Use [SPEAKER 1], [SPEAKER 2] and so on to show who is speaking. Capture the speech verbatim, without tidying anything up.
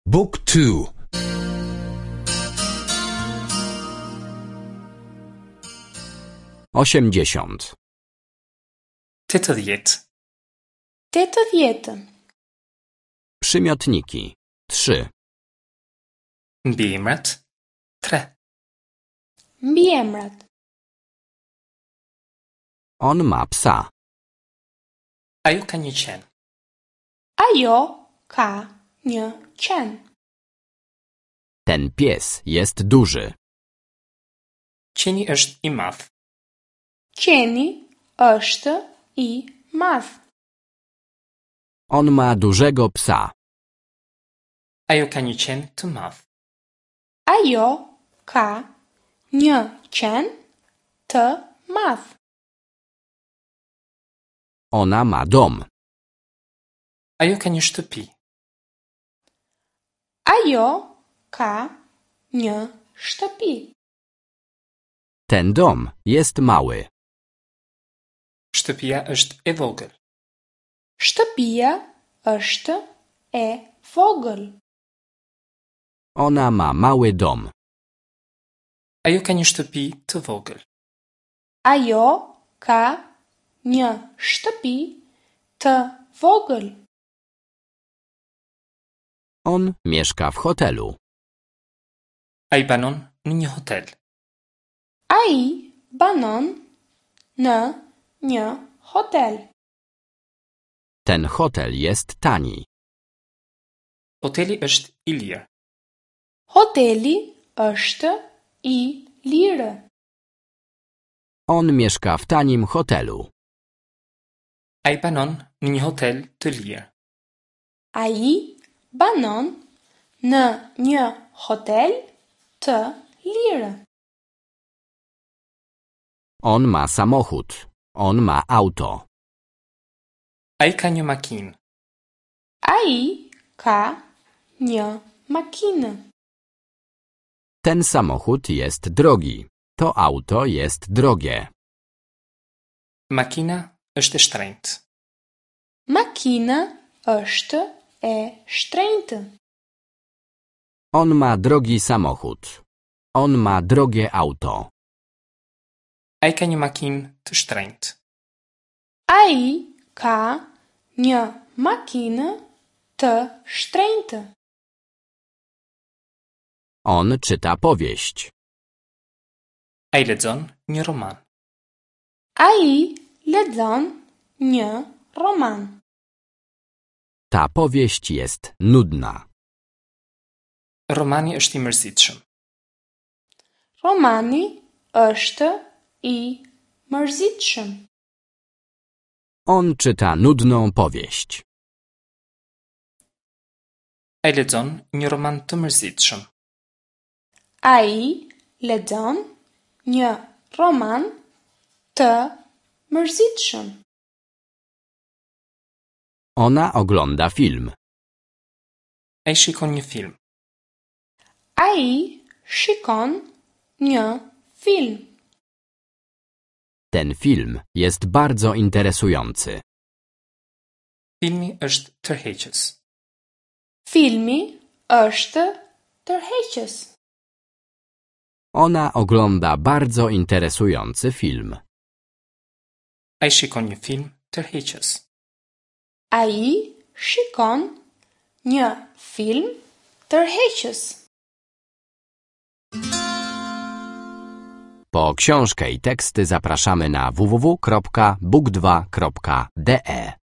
[SPEAKER 1] Book two.
[SPEAKER 2] Osiemdziesiąt.
[SPEAKER 3] Tetëdhjetë.
[SPEAKER 4] Tetëdhjetë.
[SPEAKER 2] Przymiotniki. Trzy.
[SPEAKER 3] Mbiemrat. Tre.
[SPEAKER 4] Mbiemrat.
[SPEAKER 2] On ma psa.
[SPEAKER 3] Ajo ka një qen.
[SPEAKER 4] Ajo ka një qen.
[SPEAKER 2] Ten pies jest duży.
[SPEAKER 3] Qeni është i madh.
[SPEAKER 4] Qeni është i madh.
[SPEAKER 2] On ma dużego psa.
[SPEAKER 3] Ajo ka një qen të madh.
[SPEAKER 4] Ajo ka një qen të madh.
[SPEAKER 2] Ona ma dom.
[SPEAKER 3] Ajo ka një shtëpi.
[SPEAKER 4] Ajo ka një shtëpi.
[SPEAKER 2] Ten dom jest mały.
[SPEAKER 3] Shtëpia është e vogël.
[SPEAKER 4] Shtëpia është e vogël.
[SPEAKER 2] Ona ma mały dom.
[SPEAKER 3] Ajo ka një shtëpi të vogël.
[SPEAKER 4] Ajo ka një shtëpi të vogël.
[SPEAKER 2] On mieszka w hotelu.
[SPEAKER 3] Ai banon në një hotel.
[SPEAKER 4] Ai banon në një hotel.
[SPEAKER 2] Ten hotel jest tani.
[SPEAKER 3] Hoteli është i lirë.
[SPEAKER 4] Hoteli është i lirë.
[SPEAKER 2] On mieszka w tanim hotelu.
[SPEAKER 3] Ai banon në një hotel të lirë.
[SPEAKER 4] Ai banon në një hotel të lirë.
[SPEAKER 2] On ma samochód. On ma auto.
[SPEAKER 3] Ai ka një makinë.
[SPEAKER 4] Ai ka një makinë.
[SPEAKER 2] Ten samochód jest drogi. To auto jest drogie.
[SPEAKER 3] Makina është e shtrenjtë.
[SPEAKER 4] Makina është e shtrenjtë.
[SPEAKER 2] On ma drogi samochód. On ma drogie auto.
[SPEAKER 3] Ai ka një makinë të shtrenjtë.
[SPEAKER 4] Ai ka një makinë të shtrenjtë.
[SPEAKER 2] On czyta powieść.
[SPEAKER 3] Ai lexon një roman.
[SPEAKER 4] Ai lexon një roman.
[SPEAKER 2] Ta powieść jest nudna.
[SPEAKER 3] Romani është i mërzitshëm.
[SPEAKER 4] Romani është i mërzitshëm.
[SPEAKER 2] On czyta nudną powieść.
[SPEAKER 3] Ai lexon një roman të mërzitshëm.
[SPEAKER 4] Ai lexon një roman të mërzitshëm.
[SPEAKER 2] Ona ogląda film.
[SPEAKER 3] Ai shikon një film.
[SPEAKER 4] Ai shikon një film.
[SPEAKER 2] Ten film jest bardzo interesujący.
[SPEAKER 3] Filmi është tërheqës.
[SPEAKER 4] Filmi është tërheqës.
[SPEAKER 2] Ona ogląda bardzo interesujący film.
[SPEAKER 3] Ai shikon një film tërheqës.
[SPEAKER 4] Ai shikon një film tërheqës.
[SPEAKER 2] Po książkę i teksty zapraszamy na w w w kropka book dwa kropka d e.